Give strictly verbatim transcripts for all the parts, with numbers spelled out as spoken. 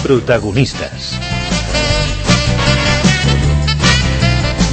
Protagonistes.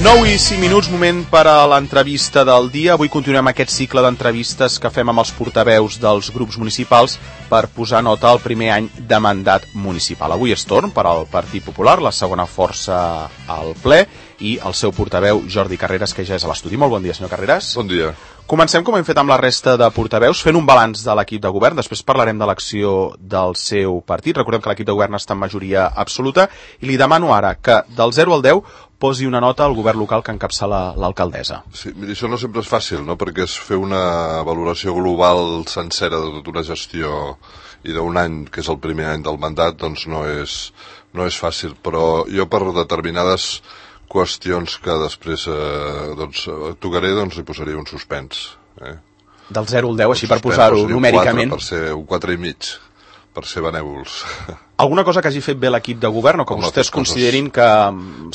nou i cinc minuts, moment per a l'entrevista del dia. Avui continuem aquest cicle d'entrevistes que fem amb els portaveus dels grups municipals per posar nota al primer any de mandat municipal. Avui és torn per al Partit Popular, la segona força al ple, i el seu portaveu, Jordi Carreras, que ja és a l'estudi. Molt bon dia, senyor Carreras. Bon dia. Comencem, com hem fet amb la resta de portaveus, fent un balanç de l'equip de govern. Després parlarem de l'acció del seu partit. Recordem que l'equip de govern està en majoria absoluta. I li demano ara que, del zero al deu, posi una nota al govern local que encapçala l'alcaldessa. Sí, mira, això no sempre és fàcil, no? Perquè és fer una valoració global sencera de tota una gestió i d'un any, que és el primer any del mandat, doncs no és, no és fàcil. Però jo, per determinades qüestions que després eh, doncs, tocaré, doncs hi posaria un suspens. Eh? Del zero al deu, així per posar-ho numèricament. Per ser un quatre i mig, per ser benèvols. Alguna cosa que hagi fet bé l'equip de govern o que Home, vostès coses... considerin que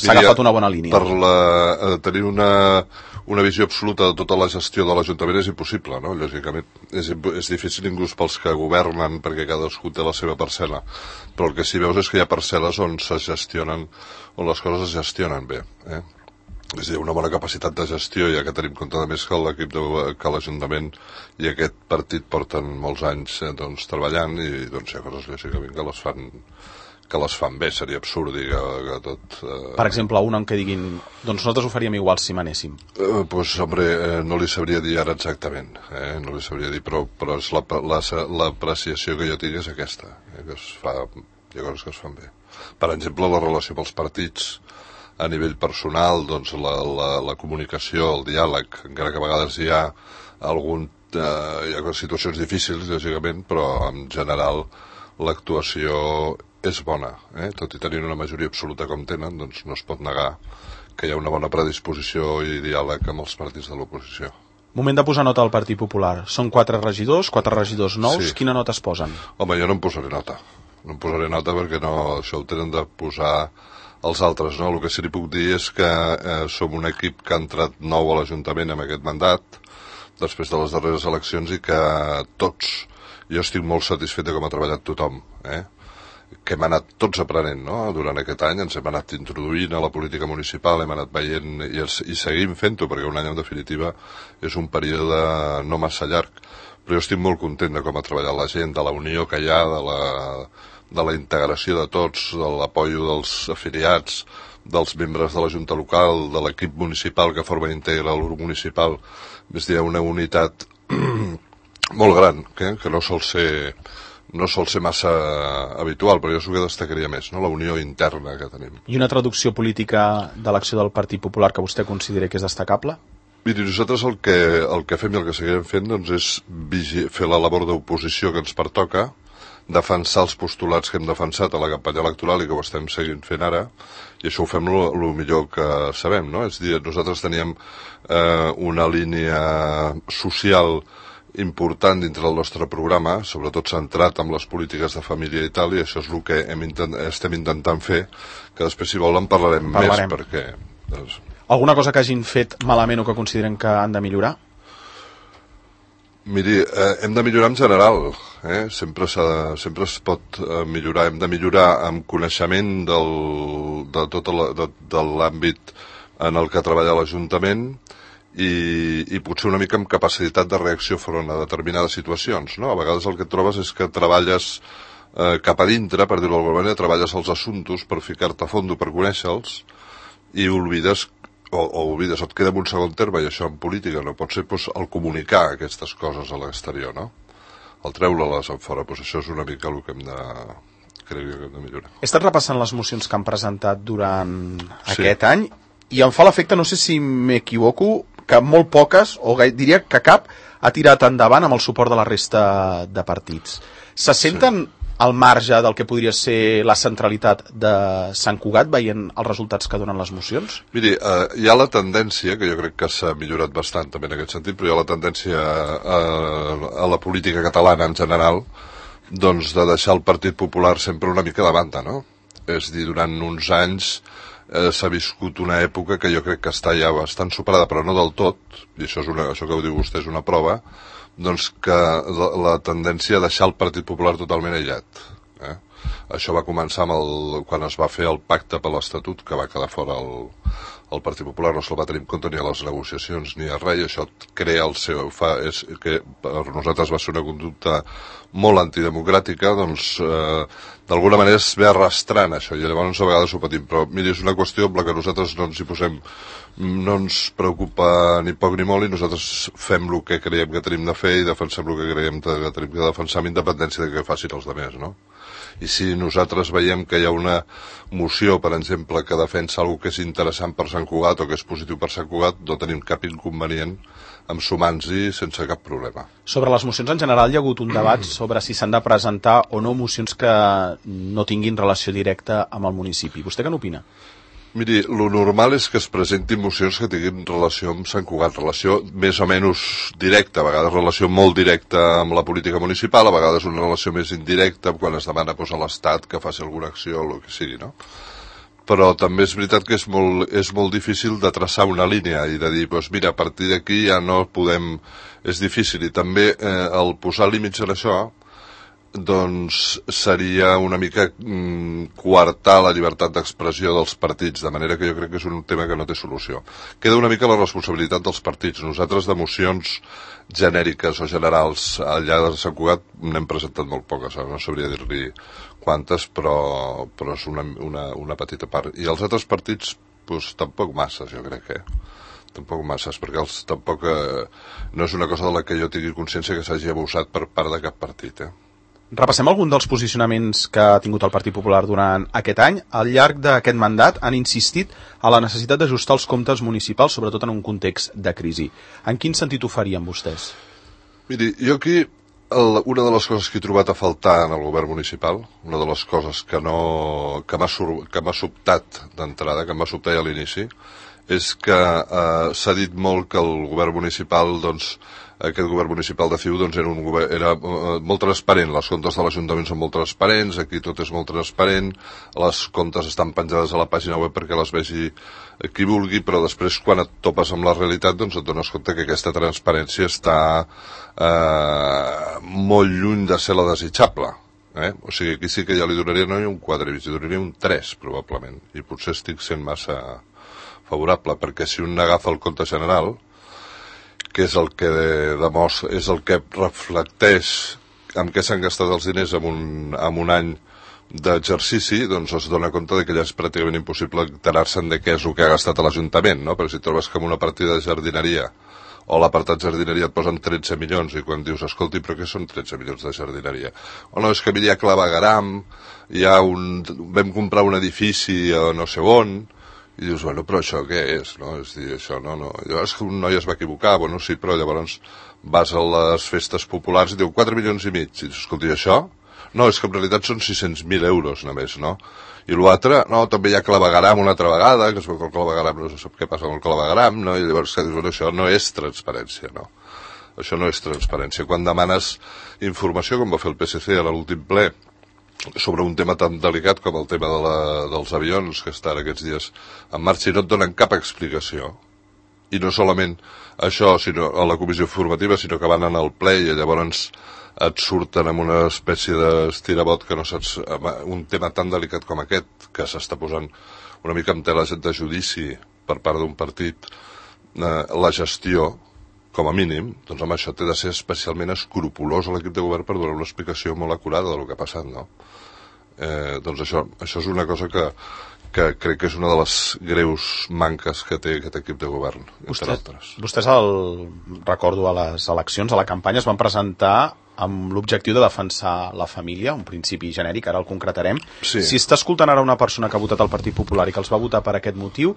s'ha agafat una bona línia? Per la, tenir una, una visió absoluta de tota la gestió de l'Ajuntament és impossible, no? Lògicament, és, és difícil inclús pels que governen, perquè cadascú té la seva parcel·la. Però el que sí veus és que hi ha parcel·les on se gestionen, on les coses es gestionen bé, eh? És a dir, una bona capacitat de gestió, ja que tenim compte de més que l'equip de, que l'Ajuntament i aquest partit porten molts anys eh, doncs, treballant, i doncs hi ha coses lògicament que les fan que les fan bé. Seria absurd dir que, que tot... Eh... Per exemple, una en què diguin, doncs nosaltres ho faríem igual si manéssim. Eh, pues, hombre, eh, no li sabria dir ara exactament, eh? no li sabria dir, però, però és la, la, l'apreciació que jo tinc és aquesta, eh? Que es fa, hi ha coses que es fan bé. Per exemple, la relació amb els partits, a nivell personal, doncs la, la, la comunicació, el diàleg, encara que a vegades hi ha algun, eh, hi ha situacions difícils, lògicament, però en general l'actuació és bona, eh? Tot i tenir una majoria absoluta com tenen, doncs no es pot negar que hi ha una bona predisposició i diàleg amb els partits de l'oposició. Moment de posar nota al Partit Popular. Són quatre regidors, quatre regidors nous. Sí. Quina nota es posen? Home, jo no em posaré nota. No em posaré nota perquè no, això ho tenen de posar els altres, no? El que sí li puc dir és que eh, som un equip que ha entrat nou a l'Ajuntament amb aquest mandat, després de les darreres eleccions, i que tots, jo estic molt satisfet de com ha treballat tothom, eh? Que hem anat tots aprenent, no? Durant aquest any ens hem anat introduint a la política municipal, hem anat veient i, i seguim fent-ho, perquè un any en definitiva és un període no massa llarg, però jo estic molt content de com ha treballat la gent, de la unió que hi ha, de la... de la integració de tots, de l'apoio dels afiliats, dels membres de la Junta Local, de l'equip municipal que forma integra el grup municipal. És a dir, una unitat molt gran, que, que no sol ser no sol ser massa habitual, però jo és el que destacaria més, no? La unió interna que tenim. I una traducció política de l'acció del Partit Popular que vostè consideri que és destacable? Miri, nosaltres el que, el que fem i el que seguirem fent, doncs, és vigi- fer la labor d'oposició que ens pertoca, defensar els postulats que hem defensat a la campanya electoral i que ho estem seguint fent ara, i això ho fem el millor que sabem, no? És a dir, nosaltres teníem eh, una línia social important dintre del nostre programa, sobretot centrat en les polítiques de família i tal, i això és el que hem intent, estem intentant fer, que després, si volen, parlarem, parlarem. més, perquè... Doncs... Alguna cosa que hagin fet malament o que consideren que han de millorar? Miri, eh, hem de millorar en general, eh? sempre, sempre es pot eh, millorar, hem de millorar amb coneixement del, de tot la, de, de l'àmbit en el que treballa l'Ajuntament i, i potser una mica amb capacitat de reacció front a determinades situacions, no? A vegades el que et trobes és que treballes eh, cap a dintre, per dir-ho d'alguna manera, treballes els assumptes per ficar-te a fondo, per conèixer-los, i oblides O, o oblides, et queda en un segon terme, i això en política no pot ser, doncs, el comunicar aquestes coses a l'exterior, no? El treure-les en fora, doncs això és una mica el que hem de, crec que hem de millorar. He estat repassant les mocions que han presentat durant sí. aquest any, i em fa l'efecte, no sé si m'equivoco, que molt poques, o diria que cap, ha tirat endavant amb el suport de la resta de partits. Se senten... Sí. al marge del que podria ser la centralitat de Sant Cugat, veient els resultats que donen les mocions? Miri, eh, hi ha la tendència, que jo crec que s'ha millorat bastant també en aquest sentit, però hi ha la tendència a, a la política catalana en general, doncs de deixar el Partit Popular sempre una mica de banda, no? És dir, durant uns anys eh, s'ha viscut una època que jo crec que està ja bastant superada, però no del tot, i això, és una, això que ho diu vostè és una prova, doncs que la, la tendència a deixar el Partit Popular totalment aïllat. Eh? Això va començar amb el, quan es va fer el pacte per l'Estatut, que va quedar fora el, el Partit Popular, no se'l va tenir en compte ni a les negociacions ni a res, i això crea el seu... Fa, és que per nosaltres va ser una conducta molt antidemocràtica, doncs eh, d'alguna manera es ve arrastrant això, i llavors a vegades ho patim, però miri, és una qüestió amb la que nosaltres no ens hi posem, no ens preocupa ni poc ni molt, i nosaltres fem el que creiem que tenim de fer i defensem el que creiem que tenim de defensar amb independència de què facin els altres, no? I si nosaltres veiem que hi ha una moció, per exemple, que defensa alguna que és interessant per Sant Cugat o que és positiu per Sant Cugat, no tenim cap inconvenient en sumar-nos-hi sense cap problema. Sobre les mocions en general hi ha hagut un debat sobre si s'han de presentar o no mocions que no tinguin relació directa amb el municipi. Vostè què n'opina? Miri, lo normal és que es presentin mocions que tinguin relació amb Sant Cugat, relació més o menys directa, a vegades relació molt directa amb la política municipal, a vegades una relació més indirecta quan es demana doncs, a l'Estat que faci alguna acció o el que sigui, no? Però també és veritat que és molt, és molt difícil de traçar una línia i de dir, doncs mira, a partir d'aquí ja no podem... És difícil, i també eh, el posar límits en això doncs seria una mica mm, coartar la llibertat d'expressió dels partits, de manera que jo crec que és un tema que no té solució. Queda una mica la responsabilitat dels partits. Nosaltres de mocions genèriques o generals allà de Sant Cugat n'hem presentat molt poques, no sabria dir-li quantes, però, però és una, una, una petita part. I els altres partits, doncs tampoc masses, jo crec que tampoc masses, perquè els, tampoc eh, no és una cosa de la que jo tingui consciència que s'hagi abusat per part de cap partit, eh? Repassem algun dels posicionaments que ha tingut el Partit Popular durant aquest any. Al llarg d'aquest mandat han insistit a la necessitat d'ajustar els comptes municipals, sobretot en un context de crisi. En quin sentit ho farien vostès? Miri, jo aquí, el, una de les coses que he trobat a faltar en el govern municipal, una de les coses que, no, que m'ha sobtat d'entrada, que em va sobtar ja a l'inici, és que eh, s'ha dit molt que el govern municipal, doncs, aquest govern municipal de C I U doncs, era, un govern, era uh, molt transparent, les comptes de l'Ajuntament són molt transparents, aquí tot és molt transparent, les comptes estan penjades a la pàgina web perquè les vegi qui vulgui, però després quan et topes amb la realitat doncs et dones compte que aquesta transparència està uh, molt lluny de ser la desitjable. Eh? O sigui, aquí sí que ja li donaria no un quatre, li donaria un tres probablement, i potser estic sent massa favorable, perquè si un agafa el compte general, que és el que demostra, és el que reflecteix amb què s'han gastat els diners en un, en un any d'exercici, doncs es dona compte de que ja és pràcticament impossible enterar-se'n de què és el que ha gastat l'Ajuntament, no? Perquè si trobes que en una partida de jardineria o l'apartat jardineria et posen tretze milions i quan dius, escolti, però què són tretze milions de jardineria? O no, és que hi ha clavegaram, hi ha un, vam comprar un edifici a no sé on, i dius, bueno, però això què és, no? És dir, això no, no... Llavors que un noi es va equivocar, bueno, sí, però llavors vas a les festes populars i diu quatre milions i mig, i dius, escolti, això? No, és que en realitat són sis-cents mil euros només, no? I l'altre, no, també hi ha clavegaram una altra vegada, que es veu que el clavegaram no sap què passa amb el clavegaram, no? I llavors que dius, bueno, això no és transparència, no? Això no és transparència. Quan demanes informació, com va fer el P S C a l'últim ple, sobre un tema tan delicat com el tema de la, dels avions que estan aquests dies en marxa i no et donen cap explicació, i no solament això sinó a la comissió informativa, sinó que van anar al ple i llavors et surten amb una espècie d'estirabot que no saps, un tema tan delicat com aquest, que s'està posant una mica en tela de judici per part d'un partit, eh, la gestió com a mínim, doncs amb això té de ser especialment escrupolós a l'equip de govern per donar una explicació molt acurada del que ha passat, no? Eh, doncs això, això és una cosa que, que crec que és una de les greus manques que té aquest equip de govern, entre Vostè, altres. Vostès, el, recordo, a les eleccions, a la campanya, es van presentar amb l'objectiu de defensar la família, un principi genèric, ara el concretarem. Sí. Si està escoltant ara una persona que ha votat el Partit Popular i que els va votar per aquest motiu,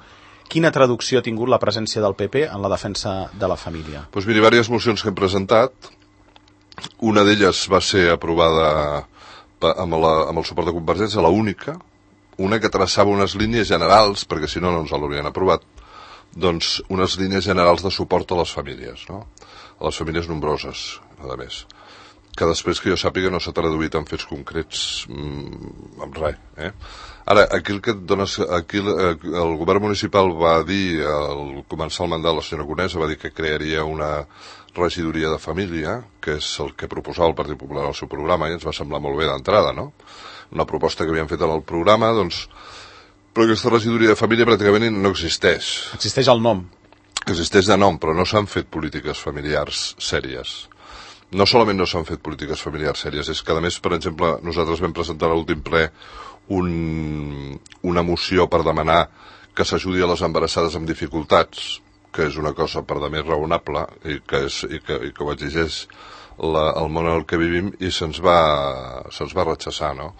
quina traducció ha tingut la presència del P P en la defensa de la família? Doncs miri, diverses mocions que hem presentat. Una d'elles va ser aprovada amb, la, amb el suport de Convergència, la única, una que traçava unes línies generals, perquè si no no ens l'haurien aprovat, doncs unes línies generals de suport a les famílies, no? A les famílies nombroses, a més. Que després que jo sàpiga no s'ha traduït en fets concrets mmm, amb res, eh? Ara, aquí el que et dones, aquí el, el govern municipal va dir, al començar el mandat, la senyora Conesa va dir que crearia una regidoria de família, que és el que proposava el Partit Popular al seu programa, i ens va semblar molt bé d'entrada, no? Una proposta que havíem fet en el programa, doncs, però aquesta regidoria de família pràcticament no existeix. Existeix el nom. Existeix de nom, però no s'han fet polítiques familiars sèries. No solament no s'han fet polítiques familiars sèries, és que, a més, per exemple, nosaltres vam presentar a l'últim ple un, una moció per demanar que s'ajudi a les embarassades amb dificultats, que és una cosa per demés raonable i que, és, i que, i que ho exigeix la, el món en el que vivim, i se'ns va, se'ns va rechaçar, no?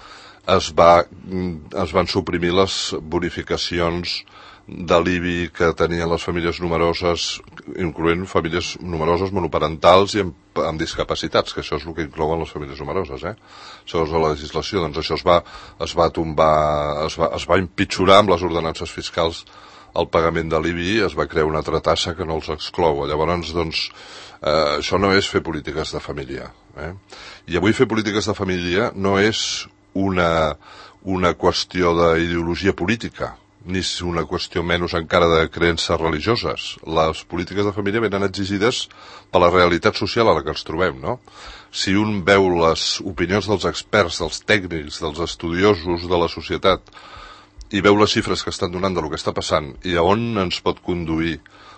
Es, va, es van suprimir les bonificacions de l'I B I que tenien les famílies numeroses, incloent famílies numeroses monoparentals i amb, amb discapacitats, que això és el que inclouen les famílies numeroses, eh? Segons la legislació, doncs això es va, es va tombar, es va, es va empitjorar amb les ordenances fiscals el pagament de l'I B I, es va crear una altra tassa que no els exclou. Llavors, doncs, eh, això no és fer polítiques de família, eh? I avui fer polítiques de família no és una, una qüestió d'ideologia política, ni és una qüestió menys encara de creences religioses. Les polítiques de família venen exigides per la realitat social a la que ens trobem, no? Si un veu les opinions dels experts, dels tècnics, dels estudiosos de la societat, i veu les xifres que estan donant del que està passant i a on ens pot conduir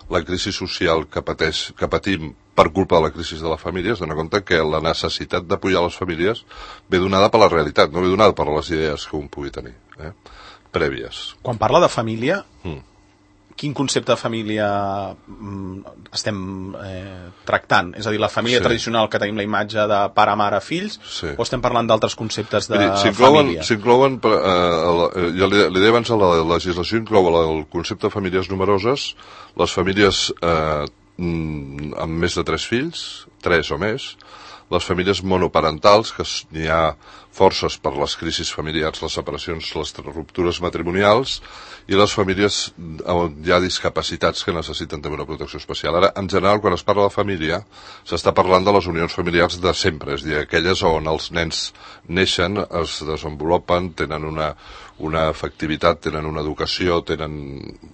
la crisi social que, pateix, que patim per culpa de la crisi de la família, es dona compte que la necessitat d'apoyar les famílies ve donada per la realitat, no ve donada per les idees que un pugui tenir, eh? Prèvies. Quan parla de família, mm. quin concepte de família mm, estem eh, tractant? És a dir, la família sí. tradicional que tenim la imatge de pare, mare, fills, sí. o estem parlant d'altres conceptes de Miri, família? S'inclouen, eh, ja li, li deia abans, la legislació inclou el concepte de famílies numeroses, les famílies eh, amb més de tres fills, tres o més, les famílies monoparentals, que n'hi ha forces per les crisis familiars, les separacions, les ruptures matrimonials, i les famílies on hi ha discapacitats que necessiten també una protecció especial. Ara, en general, quan es parla de família, s'està parlant de les unions familiars de sempre, és a dir, aquelles on els nens neixen, es desenvolupen, tenen una, una efectivitat, tenen una educació, tenen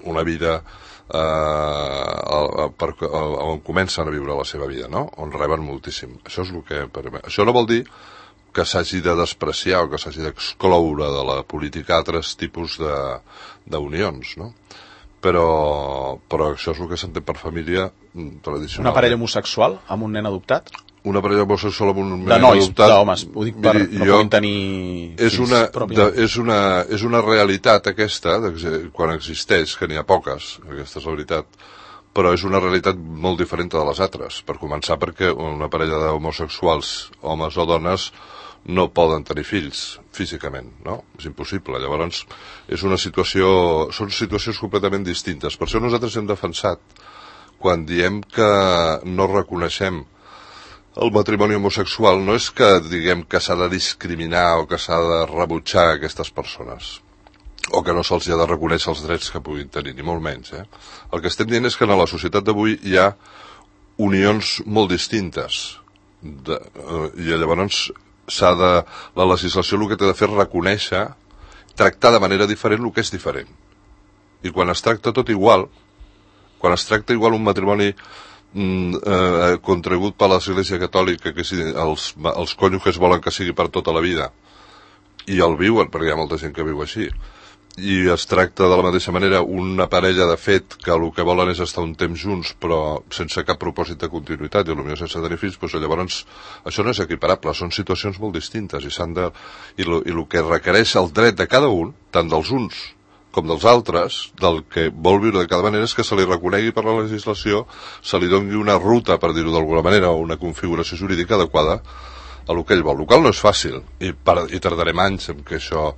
una vida eh, per, on comencen a viure la seva vida, no? On reben moltíssim. Això és el que... Això no vol dir que s'hagi de despreciar o que s'hagi d'excloure de la política altres tipus d'unions, no? Però, però això és el que s'entén per família tradicional. Una parella homosexual amb un nen adoptat? Una parella homosexual amb un nen de nois, adoptat... d'homes, ho dic per miri, no jo, puguin tenir és fills una, pròpiament. de, és, una, és una realitat aquesta, quan existeix, que n'hi ha poques, aquesta és la veritat, però és una realitat molt diferent de les altres. Per començar, perquè una parella d'homosexuals, homes o dones, no poden tenir fills físicament, no? És impossible. Llavors, és una situació, són situacions completament distintes. Per això nosaltres hem defensat, quan diem que no reconeixem el matrimoni homosexual, no és que diguem que s'ha de discriminar o que s'ha de rebutjar aquestes persones, o que no se'ls ha de reconèixer els drets que puguin tenir, ni molt menys, eh? El que estem dient és que en la societat d'avui hi ha unions molt distintes, de, eh, i llavors s'ha de, la legislació el que té de fer és reconèixer, tractar de manera diferent el que és diferent. I quan es tracta tot igual, quan es tracta igual un matrimoni mm, eh, contragut per l'Església Catòlica, que si els, els cònjuges volen que sigui per tota la vida, i el viuen, perquè hi ha molta gent que viu així, i es tracta de la mateixa manera una parella de fet que el que volen és estar un temps junts però sense cap propòsit de continuïtat i potser sense tenir fills, doncs llavors això no és equiparable, són situacions molt distintes i s'han de, i el i que requereix el dret de cada un, tant dels uns com dels altres, del que vol viure de cada manera, és que se li reconegui per la legislació, se li doni una ruta, per dir-ho d'alguna manera, o una configuració jurídica adequada a el que ell vol. El qual no és fàcil i, per, i tardarem anys en que això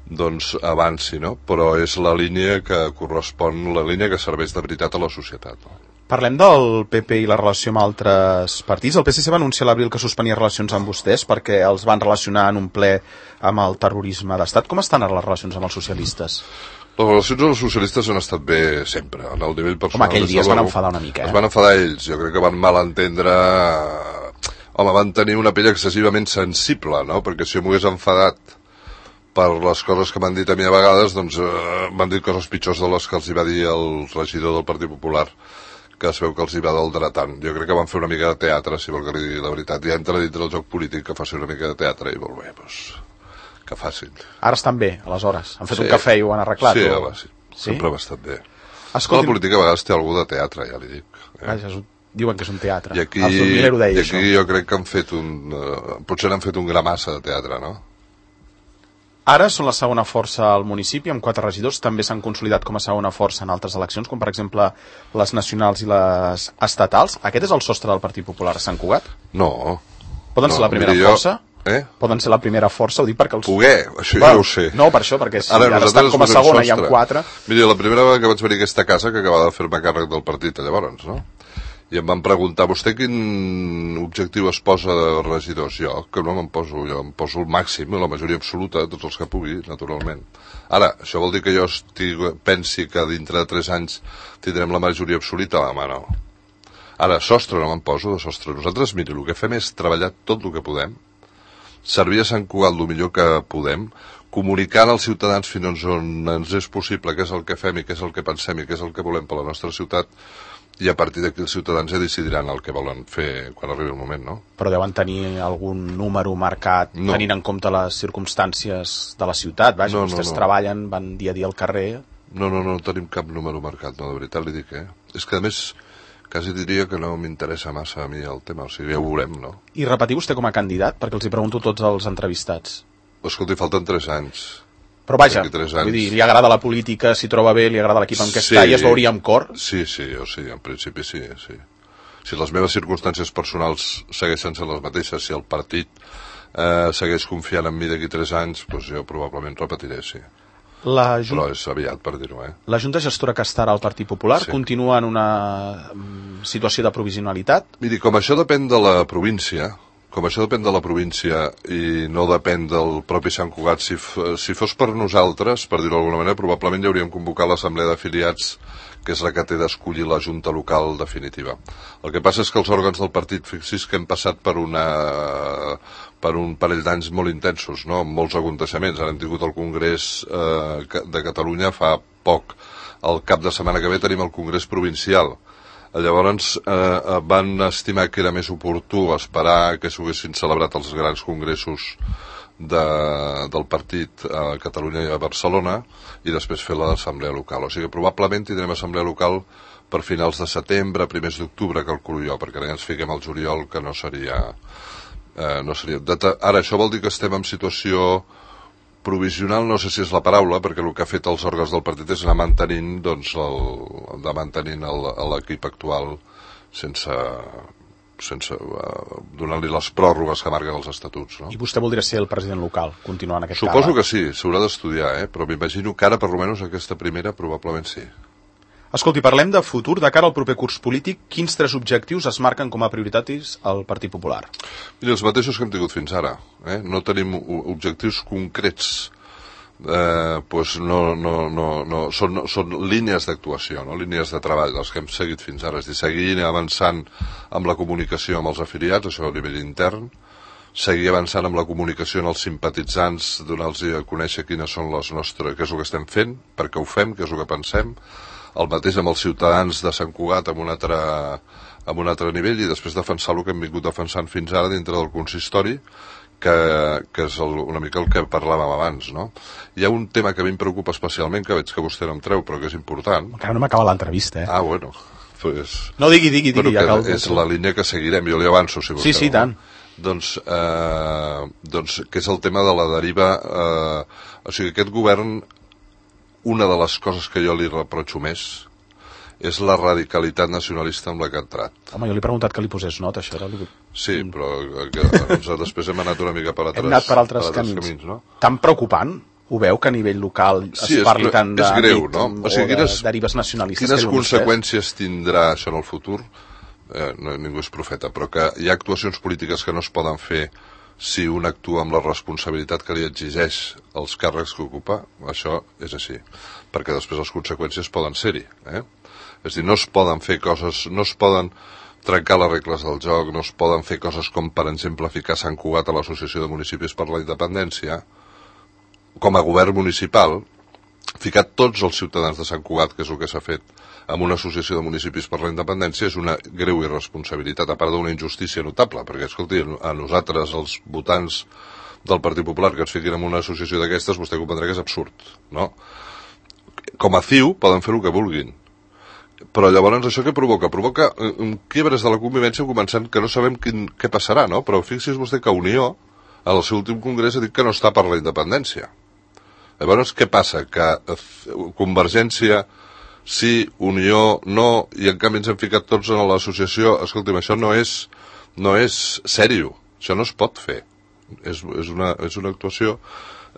doncs avanci, no? Però és la línia que correspon, la línia que serveix de veritat a la societat, no? Parlem del P P i la relació amb altres partits. El P S C va anunciar a l'abril que suspenia relacions amb vostès perquè els van relacionar en un ple amb el terrorisme d'estat. Com estan ara les relacions amb els socialistes? Les relacions amb els socialistes han estat bé sempre, en el nivell personal. Home, aquell dia es van enfadar una mica, eh? Es van enfadar ells, jo crec que van malentendre... Home, van tenir una pell excessivament sensible, no? Perquè si jo m'ho hagués enfadat per les coses que m'han dit a mi a vegades, doncs eh, m'han dit coses pitjors de les que els hi va dir el regidor del Partit Popular, que es veu que els hi va del dratant. Jo crec que van fer una mica de teatre, si vol que li digui la veritat. Ja entra dintre del joc polític que faci una mica de teatre i molt bé, doncs, que facin. Ara estan bé, aleshores? Han fet sí. un cafè i ho han arreglat? Sí, o... home, sí. Sempre sí? bastant bé. Escolti... La política a vegades té algú de teatre, ja li dic. Eh? Vaja, diuen que és un teatre. I aquí, deia, i aquí això. jo crec que han fet un... Uh, potser n'han fet un gra massa de teatre, no? Ara són la segona força al municipi, amb quatre regidors. També s'han consolidat com a segona força en altres eleccions, com per exemple les nacionals i les estatals. Aquest és el sostre del Partit Popular a Sant Cugat? No. Poden no, ser la primera jo... força? Eh? Poden ser la primera força, ho dic perquè els... Poder, això bueno, ja ho sé. No, per això, perquè si ara, ara estan com a segona i amb quatre... Mira, la primera vegada que vaig venir a aquesta casa, que acabava de fer-me càrrec del partit llavors, no? I em van preguntar, vostè quin objectiu es posa de regidors? Jo, que no me'n poso, jo em poso el màxim, la majoria absoluta, tots els que pugui, naturalment. Ara, això vol dir que jo estic, pensi que dintre de tres anys tindrem la majoria absoluta? Home, no. Ara, sostre no me'n poso, de sostre. Nosaltres, miri, el que fem és treballar tot el que podem, servir a Sant Cugat el millor que podem, comunicant als ciutadans fins on ens és possible què és el que fem i què és el que pensem i què és el que volem per la nostra ciutat, i a partir d'aquí els ciutadans ja decidiran el que volen fer quan arribi el moment, no? Però deuen tenir algun número marcat no. tenint en compte les circumstàncies de la ciutat, vaja, no, vostès no, no. treballen, van dia a dia al carrer... No, no, no, no tenim cap número marcat, no, de veritat li dic, eh? És que a més... quasi diria que no m'interessa massa a mi el tema, o sigui, ja ho veurem, no? I repetir vostè com a candidat? Perquè els hi pregunto tots els entrevistats. Escolti, falten tres anys. Però vaja, vull dir, li agrada la política, s'hi troba bé, li agrada l'equip en què sí, està i es veuria amb cor? Sí, sí, jo sí, en principi sí, sí. Si les meves circumstàncies personals segueixen sent les mateixes, si el partit eh, segueix confiant en mi d'aquí tres anys, doncs jo probablement repetiré, sí. La Jun... Però és aviat per dir-ho, eh? La Junta Gestora que estarà al Partit Popular sí. continua en una situació de provisionalitat? Miri, com això depèn de la província, com això depèn de la província i no depèn del propi Sant Cugat, si, si fos per nosaltres, per dir-ho d'alguna manera, probablement ja hauríem convocat l'assemblea d'afiliats, que és la que té d'escollir la Junta Local definitiva. El que passa és que els òrgans del partit, fixis que hem passat per una... per un parell d'anys molt intensos, no? Amb molts aconteixements. Ara hem tingut el Congrés eh, de Catalunya fa poc. El cap de setmana que ve tenim el Congrés Provincial. Llavors eh, van estimar que era més oportú esperar que s'haguessin celebrat els grans congressos de, del partit a Catalunya i a Barcelona i després fer l'assemblea local. O sigui que probablement tindrem assemblea local per finals de setembre, primers d'octubre, calculo jo, perquè ara ens fiquem al juliol, que no seria... Eh, no seria... Ara, això vol dir que estem en situació provisional, no sé si és la paraula, perquè el que ha fet els òrgans del partit és anar mantenint, doncs, el, de mantenint l'equip actual sense, sense uh, donar-li les pròrrogues que marquen els estatuts, no? I vostè voldria ser el president local, continuar en aquest Suposo càrrec? que sí, s'haurà d'estudiar, eh? Però m'imagino que ara, per almenys, aquesta primera, probablement sí. Escolti, parlem de futur. De cara al proper curs polític, quins tres objectius es marquen com a prioritaris al Partit Popular? Mira, els mateixos que hem tingut fins ara. Eh? No tenim objectius concrets. Eh, pues no, no, no, no. Són, són línies d'actuació, no? Línies de treball, els que hem seguit fins ara. És a dir, seguir avançant amb la comunicació amb els afiliats, això a nivell intern, seguir avançant amb la comunicació amb els simpatitzants, donar-los a conèixer quines són les nostres, què és el que estem fent, per què ho fem, què és el que pensem, el mateix amb els ciutadans de Sant Cugat amb un altre, amb un altre nivell i després defensar el que hem vingut defensant fins ara dintre del consistori, que, que és el, una mica el que parlàvem abans, no? Hi ha un tema que a mi em preocupa especialment, que veig que vostè no em treu, però que és important. Encara no m'acaba l'entrevista, eh? Ah, bueno. Pues, no, digui, digui, digui. Bueno, ja cal... És la línia que seguirem, jo li avanço, si vostè Sí, sí, tant. Doncs, eh, doncs, que és el tema de la deriva... Eh, o sigui, aquest govern... Una de les coses que jo li reprotxo més és la radicalitat nacionalista amb la que ha entrat. Home, jo li he preguntat que li posés nota, això era... Li... Sí, però que, doncs, després hem anat una mica per altres, hem anat per altres, per altres camins. camins, no? Tan preocupant? Ho veu que a nivell local es sí, parli és, tant de, és greu, no? O sigui, o quines, de derives nacionalistes? Quines conseqüències tindrà això en el futur? Eh, no, ningú és profeta, però que hi ha actuacions polítiques que no es poden fer si un actua amb la responsabilitat que li exigeix els càrrecs que ocupa, això és així, perquè després les conseqüències poden ser-hi, eh? És a dir, no es poden fer coses, no es poden trencar les regles del joc, no es poden fer coses com, per exemple, ficar Sant Cugat a l'Associació de Municipis per la Independència, com a govern municipal, ficar tots els ciutadans de Sant Cugat, que és el que s'ha fet, amb una associació de municipis per la independència és una greu irresponsabilitat, a part d'una injustícia notable, perquè, escolti, a nosaltres, els votants del Partit Popular, que ens fiquin en una associació d'aquestes, vostè comprendrà que és absurd, no? Com a C I U poden fer el que vulguin, però llavors això què provoca? Provoca um, quiebres de la convivència, començant que no sabem quin, què passarà, no? Però fixi's vostè que Unió, al seu últim congrés, ha dit que no està per la independència. Llavors, què passa? Que Convergència sí, Unió no, i en canvi ens hem ficat tots en l'associació. Escolti'm, això no és, no és sèrio, això no es pot fer. És, és, una, és una actuació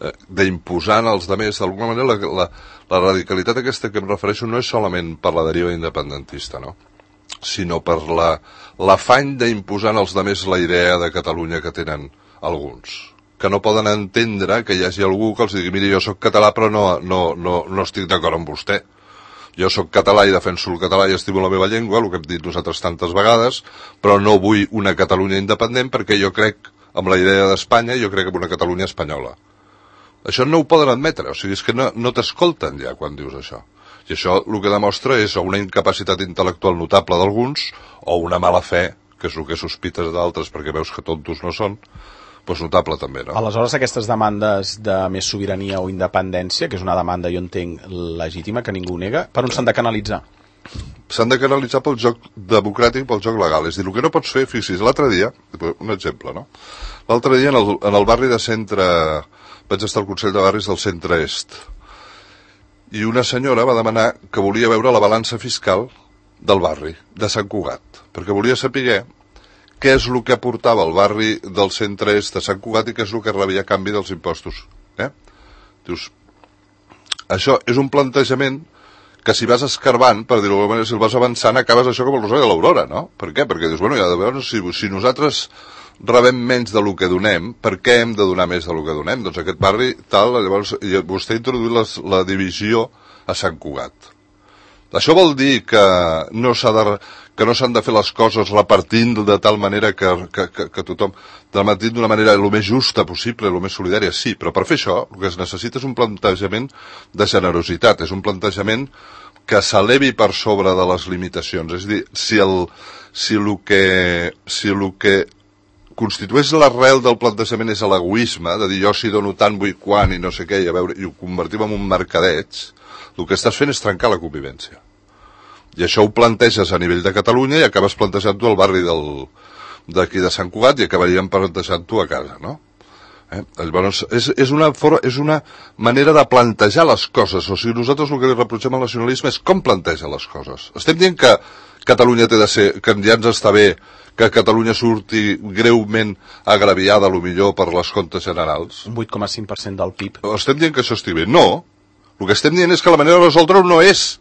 eh, d'imposar als altres. D'alguna manera, la, la, la radicalitat aquesta que em refereixo no és solament per la deriva independentista, no? Sinó per la, l'afany d'imposar als altres la idea de Catalunya que tenen alguns, que no poden entendre que hi hagi algú que els digui, miri, jo sóc català però no, no, no, no estic d'acord amb vostè. Jo sóc català i defenso el català i estimo la meva llengua, el que hem dit nosaltres tantes vegades, però no vull una Catalunya independent perquè jo crec amb la idea d'Espanya i jo crec en una Catalunya espanyola. Això no ho poden admetre, o sigui, és que no, no t'escolten ja quan dius això. I això el que demostra és o una incapacitat intel·lectual notable d'alguns o una mala fe, que és el que sospites d'altres perquè veus que tontos no són, doncs notable també, no? Aleshores, aquestes demandes de més sobirania o independència, que és una demanda, jo entenc, legítima, que ningú nega, per on s'han de canalitzar? S'han de canalitzar pel joc democràtic, pel joc legal. És a dir, el que no pots fer, fixis, l'altre dia, un exemple, no? L'altre dia en el, en el barri de centre, vaig estar al Consell de Barris del centre-est, i una senyora va demanar que volia veure la balança fiscal del barri, de Sant Cugat, perquè volia saber què és el que aportava el barri del centre-est de Sant Cugat i què és el que rebia a canvi dels impostos. Eh? Dius, això és un plantejament que si vas escarbant, per dir-ho d'alguna manera, si el vas avançant, acabes això com el Rosari de l'Aurora, no? Per què? Perquè dius, bueno, ja de veure, si, si nosaltres rebem menys del que donem, per què hem de donar més del que donem? Doncs aquest barri, tal, llavors, vostè ha introduït les, la divisió a Sant Cugat. Això vol dir que no s'ha de, que no s'han de fer les coses repartint de tal manera que, que, que, que tothom, repartint d'una manera el més justa possible, el més solidària, sí, però per fer això el que es necessita és un plantejament de generositat, és un plantejament que s'elevi per sobre de les limitacions. És a dir, si el, si el que, si el que constitueix l'arrel del plantejament és l'egoisme, de dir jo si dono tant vull quan i no sé què, i, a veure, i ho convertim en un mercadeig, el que estàs fent és trencar la convivència. I això ho planteges a nivell de Catalunya i acabes plantejant-ho al barri del, d'aquí de Sant Cugat i acabaríem plantejant-ho a casa, no? Eh? Llavors, és, és, una for, és una manera de plantejar les coses. O sigui, nosaltres el que li reprotxem al nacionalisme és com planteja les coses. Estem dient que Catalunya té de ser, que ja ens està bé que Catalunya surti greument agraviada, a lo millor, per les comptes generals. Un vuit coma cinc per cent del P I B. Estem dient que això estigui bé. No. El que estem dient és que la manera de resoldre-ho no és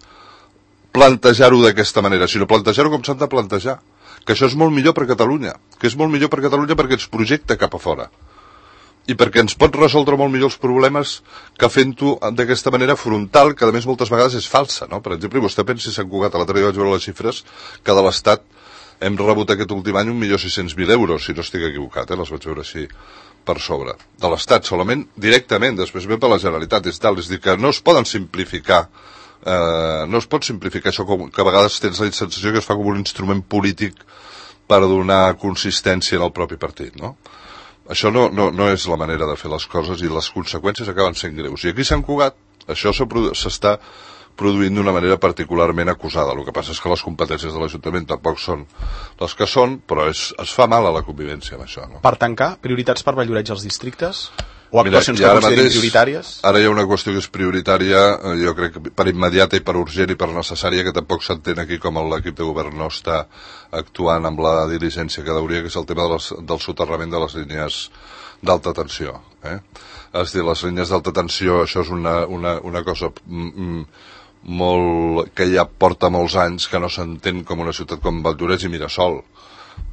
plantejar-ho d'aquesta manera, sinó plantejar-ho com s'han de plantejar. Que això és molt millor per Catalunya. Que és molt millor per Catalunya perquè ens projecta cap a fora. I perquè ens pot resoldre molt millor els problemes que fent-ho d'aquesta manera frontal, que a més moltes vegades és falsa, no? Per exemple, vostè pensi Sant Cugat, l'altre dia vaig veure les xifres, que de l'Estat hem rebut aquest últim any un milió sis-cents mil euros, si no estic equivocat, eh? Les vaig veure així per sobre. De l'Estat, solament directament, després ve per la Generalitat, és tal, és dir, que no es poden simplificar, eh, no es pot simplificar això, com, que a vegades tens la sensació que es fa com un instrument polític per donar consistència en el propi partit, no? Això no, no, no és la manera de fer les coses i les conseqüències acaben sent greus. I aquí a Sant Cugat això s'està produint d'una manera particularment acusada. El que passa és que les competències de l'Ajuntament tampoc són les que són, però és, es fa mal a la convivència amb això, no? Per tancar, prioritats per Valldoreix als districtes? O actuacions Mira, que considerin mateix, prioritàries? Ara hi ha una qüestió que és prioritària, jo crec que per immediata i per urgent i per necessària, que tampoc s'entén aquí com l'equip de govern no està actuant amb la diligència que hauria, que és el tema de les, del soterrament de les línies d'alta tensió. Eh? És dir, les línies d'alta tensió, això és una, una, una cosa mm, molt, que ja porta molts anys, que no s'entén com una ciutat com Valldoreix i Mirasol,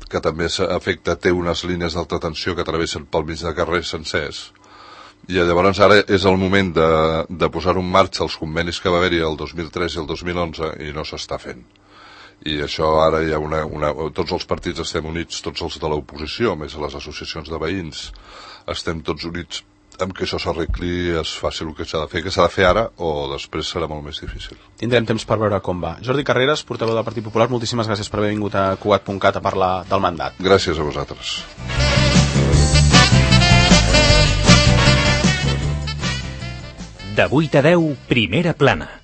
que també afecta, té unes línies d'alta tensió que travessen pel mig de carrers sencers. I llavors ara és el moment de, de posar en marxa els convenis que va haver-hi el dos mil tres i el dos mil onze i no s'està fent. I això ara hi ha una, una... Tots els partits estem units, tots els de l'oposició, més les associacions de veïns, estem tots units amb que això s'arregli, es faci el que s'ha de fer, que s'ha de fer ara o després serà molt més difícil. Tindrem temps per veure com va. Jordi Carreras, portaveu del Partit Popular, moltíssimes gràcies per haver vingut a Cugat punt cat a parlar del mandat. Gràcies a vosaltres. De vuit a deu, Primera Plana.